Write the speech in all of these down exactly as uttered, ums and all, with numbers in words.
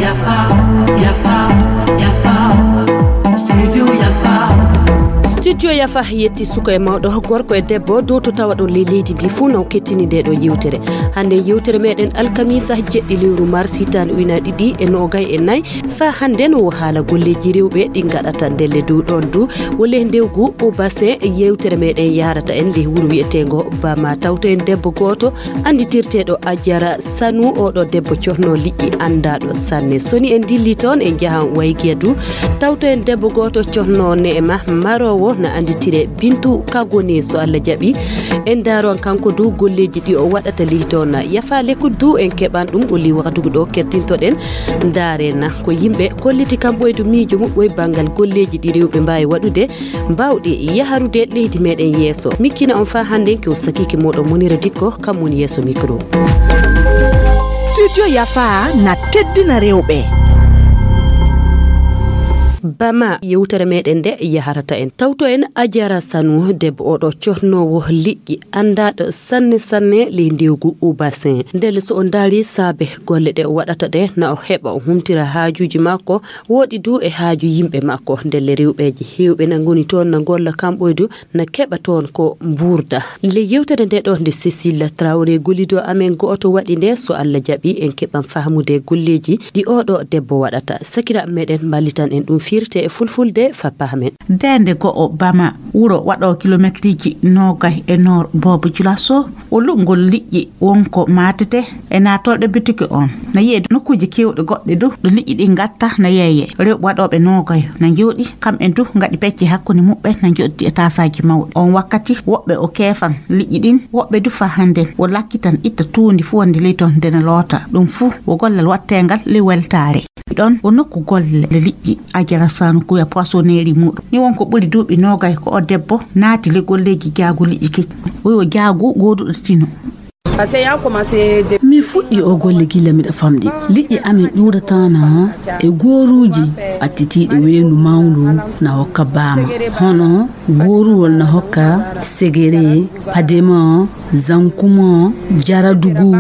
Yafa, yafa, yafa. Studio yafa. Studio yafa yetti suka e mawɗo, gorko e debbo, dow to tawa ɗon ley leydi ndi fuu, no kettini nde ɗo yewtere. Hannde yewtere meɗen alkamisa jeɗɗi lewru mars hitaande ujunaaji ɗiɗi e noogay e nayi. Fa hannden wo haala golleeji rewɓe ɗi ngaɗata ndelle dow ɗon du. Wo ley ndewgu o basin yewtere meɗen yahrata en ley wuro wi'eteengo Bama. Tawto en debbo gooto annditirteeɗo Ajara Sanu. Oɗo debbo cohno liƴƴi anndaaɗo sanne. Soni en dilli toon en njahan Waygiya du. Tawto en debbo gooto cohno ne'ema maroowo na annditire Bintu Kagoni so Allah jaɓi. En ndaaron kanko du golleeji ɗi o waɗata ley toon. Yafa lekku du en keɓan ɗum o ley wakatugu ɗo kettintoɗen. Ndaare na ko yimɓe kolliti kam ɓoydu miijo muɓɓoy banngal golleeji ɗi rewɓe mbaawi waɗude, mbaawɗi yaharude leydi meɗen yeeso. Mikkina on faa hannden ko sakiike mooɗon Munira Dikko, kam woni yeeso mikro. Studio Yafa na teddina rewɓe. Bama yewtere meɗen nde yaharata en. Tawto en Ajara Sanu, debbo oɗo cohnoowo liƴƴi, anndaaɗo sanne sanne ley ndewgu Ubasin. Ndelle so o ndaari saabe golle ɗe o waɗata ɗe, na o heɓa o humtira haajuuji makko, woɗi du e haaju yimɓe makko. Ndelle rewɓeeji heewɓe na ngoni toon na ngolla kamɓoy du, na keɓa toon ko mbuurda. Ley yewtere nde ɗo nde Cécile Traoré gollido amen go'oto waɗi nde, so Allah jaɓi en keɓan fahmude golleeji ɗi oɗo debbo waɗata. Sakiraaɓe meɗen mballitan en ɗum firte e fulfulde fa pahmen. Nde nde go'o Bama, wuro waɗo kilometriji noogay e noor Boobo Julaso, o luɓngol liƴƴi wonko maatete e naatolɗe bitiki on. Na yi'e nokkuuje keewɗe goɗɗe du, ɗo liƴƴi ɗin ngatta na yeeye. Rewɓe waɗooɓe noogayo na njooɗi, kamɓe du ngaɗi pecce hakkunde muɓɓen na njoɗdi e taasaaji mawɗi. On wakkati, woɓɓe o keefan liƴƴi ɗin, woɓɓe du fa hannden o lakkitan itta tuundi fuu wonde ley ton nde na loota. Ɗum fuu wo gollal watteengal ley weltaare. Ɗon wo nokku golle liƴƴi Ajara Sanu kuya poisonnerie muɗum. Ni won ko ɓuri duuɓi noogay ko o debbo naati ley golleeji jaagu liƴƴi kecci. O yo jaagu gooduɗo tino. Mi fuɗɗii oo golle gilla miɗo famɗi. Liƴƴi amen ƴuurataana e gooruuji ɓattitiiɗi weendu mawndu na hokka baama. Hono gooruwol na hokka segere, padema, zankuma, jaradugu,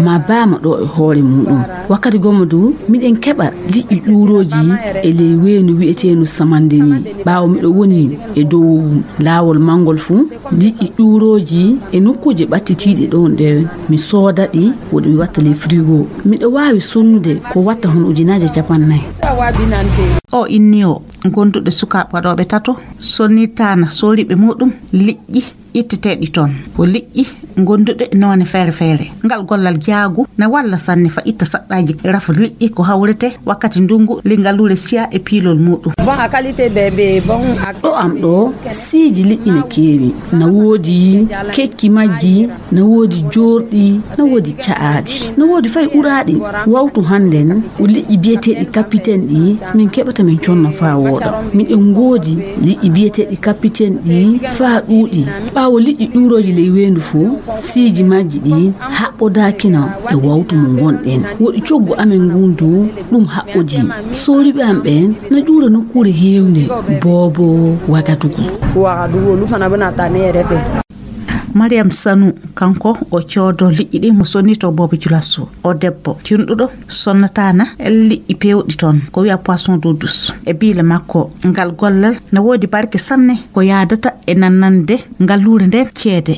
ma baama ɗo e hoore muɗum. Wakkati gomma du, miɗen keɓa liƴƴi ƴuurooji e ley weendu wi'eteendu Samandeni. Ɓaawo miɗo woni e dow laawol mangol fuu, liƴƴi ƴuurooji e nokkuuje ɓattitiiɗe ɗon ɗen, mi sooda ɗi, woɗi mi watta ley frigo. Miɗo waawi sonnude ko watta hono ujunaaje capannay. O inni o gonduɗe sukaaɓe waɗooɓe tato, sonnitaana sooriiɓe muɗum liƴƴi itteteeɗi toon. Ko liƴƴi gonduɗe noone feere feere. Ngal gollal jaagu na walla sanne fa itta saɗɗaaji rafu liƴƴi ko hawrete wakkati ndungu ley ngaluure siya e piilol muɗum. Ɗo am ɗo, siiji liƴƴi na keewi. Na woodi kecci majji, na woodi joorɗi, na woodi ca'aaɗi. Na woodi fay ɓuraaɗi. Wawtu hannden, o liƴƴi biyeteeɗi kapiten ɗi, min keɓata min conna faa wooɗa. Miɗen ngoodi liƴƴi biyeteeɗi kapiten ɗi faa ɗuuɗi. Ɓaawo liƴƴi ƴuurooji ley weendu fuu, siiji majji ɗi haɓɓodaakina e wawtu mo ngonɗen. Woɗi coggu amen ngun du, ɗum haɓɓodii. Sooriiɓe am ɓen na ƴuura nokkuure heewnde, Boobo Wagadugu. Mariam Sanu, kanko o coodo liƴƴi ɗin, mo sonnito Boobo Julaso. O debbo tinɗuɗo, sonnataana liƴƴi peewɗi toon, ko wi'a poisson d'eau douce. E biile makko, ngal gollal na woodi barke sanne, ko yaadata e nannande ngaluure nden ceede.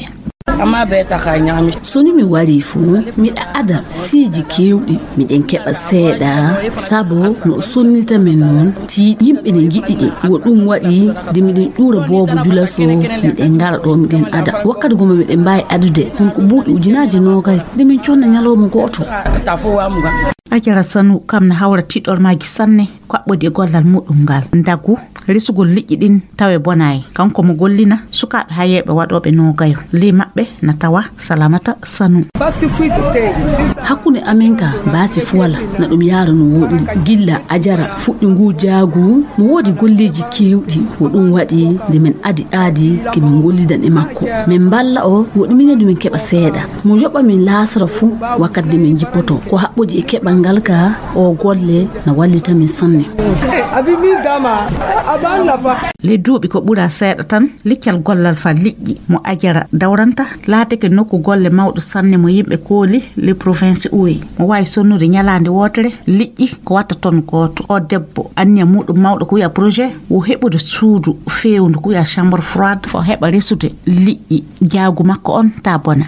So ni mi warii fuu, miɗa ada siiji keewɗi, miɗen keɓa seeɗa, sabu no o sonnita men non, tiiɗi yimɓe ne njiɗi ɗi. Wo ɗum waɗi nde miɗen ƴuura Boobo Julaso, miɗen ngara ɗo, miɗen ada. Wakkati goma miɗen mbaawi adude, honko buuɗi ujunaaji noogay, nde min conna ñalawma gooto. Ajara Sanu kam na hawra tiiɗormaaji sanne, ko haɓɓodi e gollal muɗum ngal. Ndagu, resugol liƴƴi ɗin tawe bonaay. Kanko mo gollina sukaaɓe hayeeɓe waɗooɓe noogayo. Ley maɓɓe na tawa Salamata Sanu. Hakkunde amen ka baasi fuwala na ɗum yaara no wooɗiri. Gilla Ajara fuɗɗi ngu jaagu, mo woodi golleeji keewɗi. Ko ɗum waɗi nde min adi aadi ke min gollidan e makko. Min mballa o, woɗi minen du min keɓa seeɗa. Mo yoɓa min laasara fuu wakkati nde min jippoto. Ko haɓɓodi e keɓal ngal ka, o golle na wallita min sanne. Le duuɓi ko ɓura seeɗa tan, liccal gollal fa liƴƴi mo Ajara dawranta laatake nokku golle mawɗo sanne mo yimɓe kooli le province uwe. Mo waawi sonnude ñalaande wootere liƴƴi ko watta ton gooto. O debbo, anniya muɗum mawɗo ko wiya projet, wo heɓude suudu feewndu ko wiya chambre froide, fo heɓa resude liƴƴi jaagu makko on ta bona.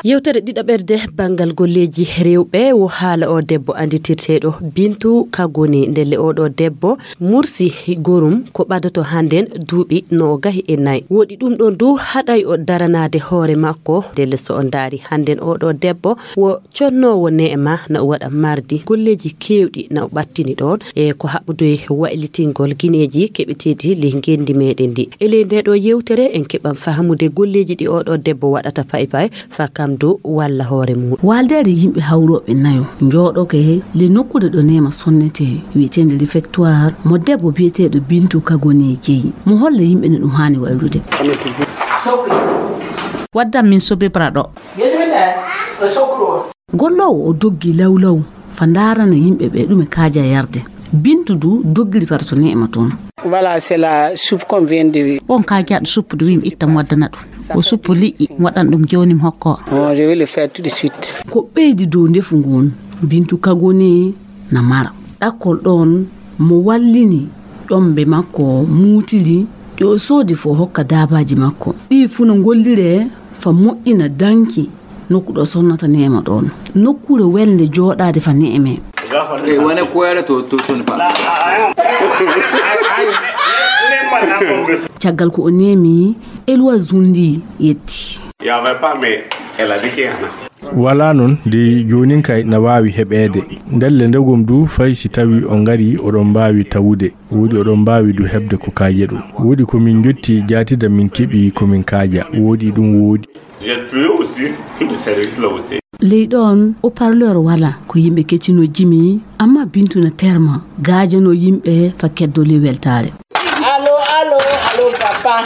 Yewtere ɗiɗaɓerde banngal golleeji rewɓe wo haala o debbo annditirteeɗo Bintu Kagoni. Ndelle oɗo debbo mursi gorum ko ɓadato hannden duuɓi no o gahi e nayi. Woɗi ɗum ɗon du haɗay o daranaade hoore makko. Ndelle so o ndaari hannden oɗo debbo wo connoowo neema na o waɗa mardi golleeji keewɗi na o ɓattini ɗoon e ko haɓɓude waylitingol gineeji keɓeteeɗi ley ngenndi meeɗen ndi. E ley ndee ɗoo yewtere en keɓan fahamude golleeji ɗi oɗo debbo waɗata pay pay fa kam du walla hoore mum. Waaldeede yimɓe hawrooɓe nayo njooɗoke le nokkuure ɗo neema sonnetee wiyeteende réfectoire mo debbo biyeteeɗo Bintu Kagoni jeyi. Mo holla yimɓe no ɗum haani waylude. Waddan min sobebra ɗo. Golloowo o doggi lawlaw fa ndaarana yimɓe ɓe ɗume kaaja yarde. Bintu du doggiri fata to neema toon. Voilà, c'est la soupe qu'on vient de. Bon, kaajaɗo suppu du wiimi ittam waddana ɗum. Ko suppu liƴƴi waɗan ɗum jooni mi hokko. Je vais le faire tout de suite. Ko ɓeydi dow ndefu ngun, Bintu Kagoni na mara. Ɗakkol ɗoon mo wallini ƴombe makko muutiri ɗi o soodi fo hokka daabaaji makko. Ɗi fu no ngolliree fa moƴƴina danki nokku ɗo sonnata neema ɗoon. Nokkuure welnde jooɗaade fa neeme. Kay wane koyara to to to ne ba. Caggal ko o neemi, Elwa Zundi yetti. Ya vai pa me ela dike ana. Walaa noon de, joonin kay na waawi heɓeede. Ndelle ndegom du fay si tawii o ngarii oɗon mbaawi tawude. Woodi oɗon mbaawi du heɓde ko kaaje ɗum. Woodi ko min njotti jaatida min keɓi ko min kaaja. Woodi ɗum woodi. J'ai trouvé aussi tout le service là aussi. Ley ɗoon o parleur wala ko yimɓe keccino jimi amma Bintu na terma gaajano yimɓe fa keddo ley weltaare. Allo, allo, allo, papa.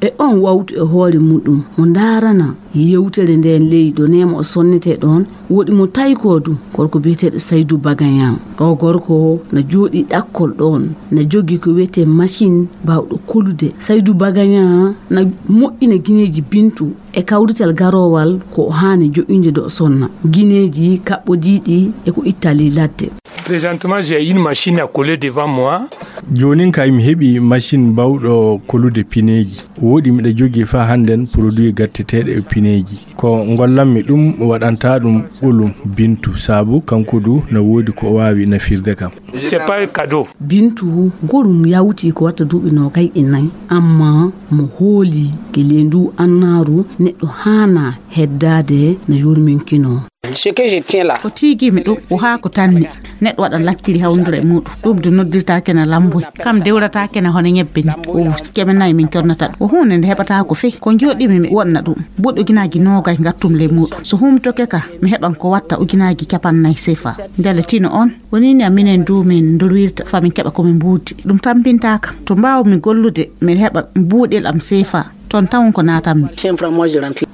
E on wawtu e hoore muɗum mo ndaarana yewtere nden ley ɗo neema o sonnete ɗon, woɗi mo taykoo du, gorko biyeteeɗo Saydu Bagañan. O gorko na jooɗii ɗakkol ɗon, na jogii ko wiyetee machine baawɗo kolude. Saydu Bagañan na moƴƴina gineeji Bintu e kawrital garoowal ko o haani joƴƴinde do o sonna. Gineeji kaɓɓodiiɗi e ko itta ley ladde. Présentement, j'ai une machine à coller devant moi. Joonin kay mi heɓi machine bawɗo kolude pineeji. Wooɗi miɗa jogii faa hannden produit gatteteeɗo e pineeji. Ko ngollanmi ɗum waɗantaa ɗum ɓolum Bintu saabu kanko du na woodi ko o waawi nafirde kam. C'est pas un cadeau. Bintu gorum yawti ko watta duuɓi noogay e nayi, amma mo hooli gila e nduu annaaru neɗɗo haanaa heddaade na yurminkinoo. Ce que je tiens là. Ko tiigii mi ɗum ko haa ko tanni. Neɗɗo waɗa lakkiri hawndura e muuɗum. Ɗum de noddirtaake na lamboy. Kam dewrataake na hono ñebbe ni. O kemenay min connata ɗum. Ko huunde nde heɓataako fey. Ko njooɗiimi mi wonna ɗum. Buuɗi ujunaaji noogay ngattum ley muuɗum. So huumtoke ka, mi heɓan ko watta ujunaaji capannay sefa. Ndelle tino on, woni ni minen du min ndolwirta fa min keɓa ko min mbuuɗdi. Ɗum tampintaa kam. To mbaawmi gollude, min heɓa buuɗel am sefa. Toon tawon ko naatammi.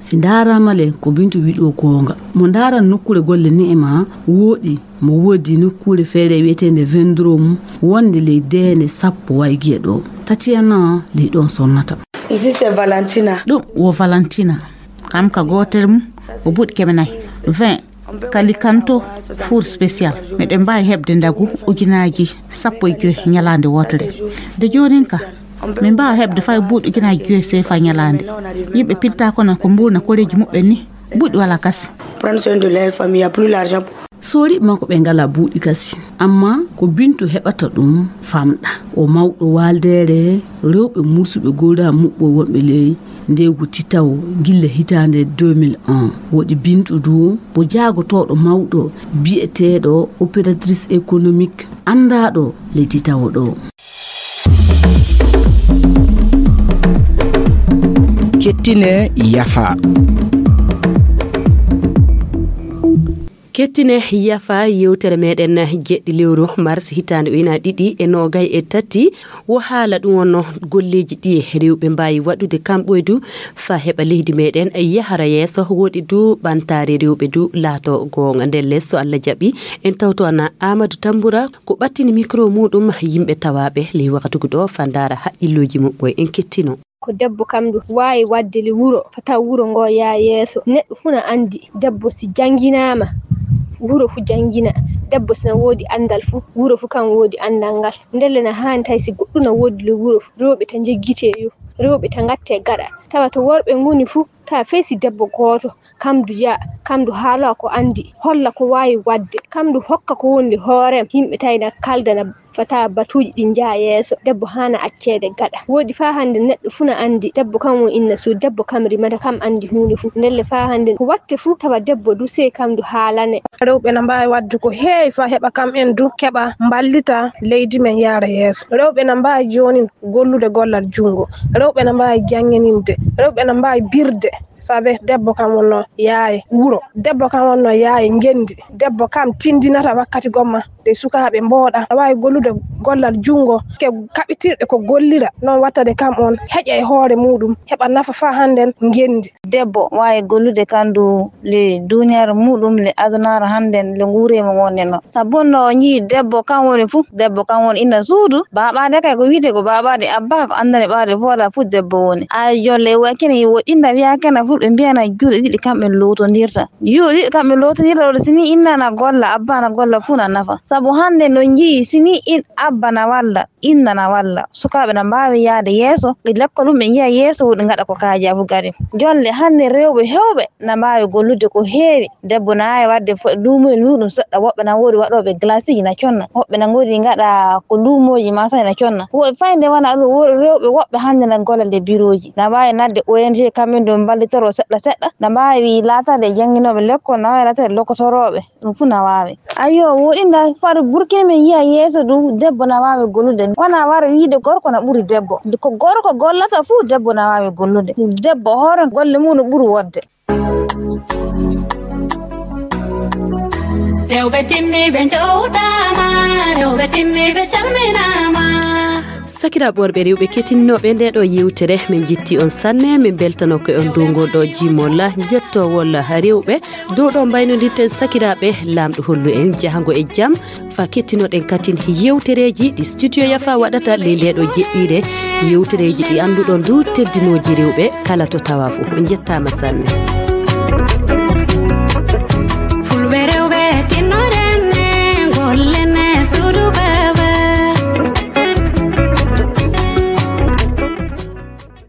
Si ndaaraama le, ko Bintu wiɗo goonga. Mo ndaaran nokkuure golle ne'e ma wooɗi, mo woodi nokkuure feere wiyeteende Vendrom, wonde ley deende sappo waygiya ɗo. Tatiana ley ɗoon sonnata. Ici c'est Valentina. Ɗum wo Valentina. Kam ka gootel mum, o buuɗi keme nayi. Vingt. Kalikanto four spécial. Miɗen mbaawi heɓde ndagu ujunaaji sappo e joy ñalaande wootere. De joonin ka, min mbaawa heɓde fay buuɗi ujunaaji joy sefa ñalaande. Yimɓe pilta kono ko mbuurna koreeji muɓɓen ni. Buuɗi wala kasi. Prendre soin de leur famille, y a plus l'argent. Soori makko ɓe ngala buuɗi kasi. Amma ko Bintu heɓata ɗum famɗa. O mawɗo waaldeere rewɓe mursuɓe gowra muɓɓo wonɓe ley ndeegu titawo gilla hitaande deux mille un. Woɗi Bintu du ko jaagotooɗo mawɗo biyeteeɗo opératrice économique anndaaɗo ley titawo ɗo. Kettine yafa. Kettine yafa yewtere meɗen jeɗɗi lewru mars hitaande ujunaaji ɗiɗi e noogay e tati. Wo haala ɗum wonno golleeji ɗi rewɓe mbaawi waɗude kam ɓoydu fa heɓa leydi meɗen yahara yeeso. Woɗi du ɓantaare rewɓe du laato goonga. Ndelle so Allah jaɓi, en tawto ana Amadou Tambura ko ɓattini micro muɗum yimɓe tawaaɓe ley wakatugu ɗo fa ndaara haqqillooji muɓɓoy. En kettino. Ko debbo kam ndu waawi waɗde le wuro, fota wuro ngo yaa yeeso. Neɗɗo fuu na anndi debbo si jannginaama, wuro fuu janngina. Debbo si na woodi anndal fuu, wuro fuu kam woodi anndal ngal. Ndelle na haani tawi si goɗɗum na woodi le wuro fuu, rewɓe ta njeggitee yo, rewɓe ta ngattee gaɗa. Tawa to worɓe ngoni fuu, tawa fey si debbo gooto, kam ndu yaa, kam ndu haala ko anndi, holla ko waawi waɗde, kam ndu hokka ko woni le hoorem. Yimɓe tawi na kaldana fata batuuji ɗi njaha yeeso, debbo haana acceede gaɗa. Woodi faa hannde neɗɗo fuu na anndi, debbo kam woni inna suudu, debbo kam rimata, kam anndi huunde fuu. Ndelle faa hannde ko watte fuu tawa debbo du sey kam ndu haalane. Rewɓe na mbaawi waɗde ko heewi faa heɓa kam en du keɓa mballita leydi men yaara yeeso. Rewɓe na mbaawi jooni gollude gollal junngo. Rewɓe na mbaawi janngininde. Rewɓe na mbaawi birde. Sabe debbo kam wonno yaaye wuro. Debbo kam wonno yaaye ngenndi. Debbo kam tindinata wakkati gomma. Nde sukaaɓe mbooɗa, aɗa waawi gollude gollal junngo, ke kaɓitirɗe ko gollira, noon wattade kam on heƴa e hoore muɗum, heɓa nafa faa hannden ngenndi. Debbo waawi gollude kam ndu le duuniyaaru muɗum, le adunaaru hannden, le nguuree mo wonde no. Sabu no o njii debbo kam woni fuu, debbo kam woni inna suudu, baaɓaade kay ko wiite ko baaɓaade, abba ko anndane ɓaade foola fuu debbo woni. A jolle e wakkene woɗɗinda wiya kena fulɓe mbiyana juuɗe ɗiɗi kamɓe lootondirta. Juuɗe ɗiɗi kamɓe lootondirta ɗo, si ni inna na golla, abba na golla fuu na nafa. Sabu hannde no njii, si ni in abba na walla, inna na walla. Sukaaɓe na mbaawi yahde yeeso, ɗi lekkol mum ɓe njiya yeeso, woɗi ngaɗa ko kaaja fuu kadi. Jonle hannde rewɓe heewɓe na mbaawi gollude ko heewi. Debbo na waawi waɗde fo-, luumoyel muɗum seɗɗa. Woɓɓe na woodi waɗooɓe glaceji na conna. Woɓɓe na ngoodi ngaɗa ko luumooji ma sani na conna. Wo-, fayde wona ɗum, wo-, rewɓe woɓɓe hannde na golla le birooji. Na waawi nadde O N G kamɓe ɗum mballitoro seɗɗa seɗɗa. Na mbaawi laatade jannginooɓe lekkol, na waawi laatade lokotorooɓe. Ɗum fuu na waawi. Ayyo, woɗinda far Burkina men yiya yeeso ɗum, debbo na waawi gollude. Wona wara wiide gorko na ɓuri debbo. Ko gorko gollata fuu, debbo na waawi gollude. Debbo hoore golle mum no ɓuri wodde. Rewɓe timmiiɓe njowtaama, rewɓe timmiiɓe calminaama. Sakiraaɓe worɓe rewɓe kettiniiɓe nde ɗo yewtere, min njetti on sanne, min mbeltano ko on dow ngol ɗo jimol njettowol rewɓe. Dow ɗo mbaynodirten sakiraaɓe, Laamɗo hollu en jahango e jam, fa kettinoɗen katin yewtereeji ɗi Studio Yafa waɗata ley nde ɗo jeɗɗiire, yewtereeji ɗi annduɗon du teddinooji rewɓe kala to tawa fuu. On njettaama sanne.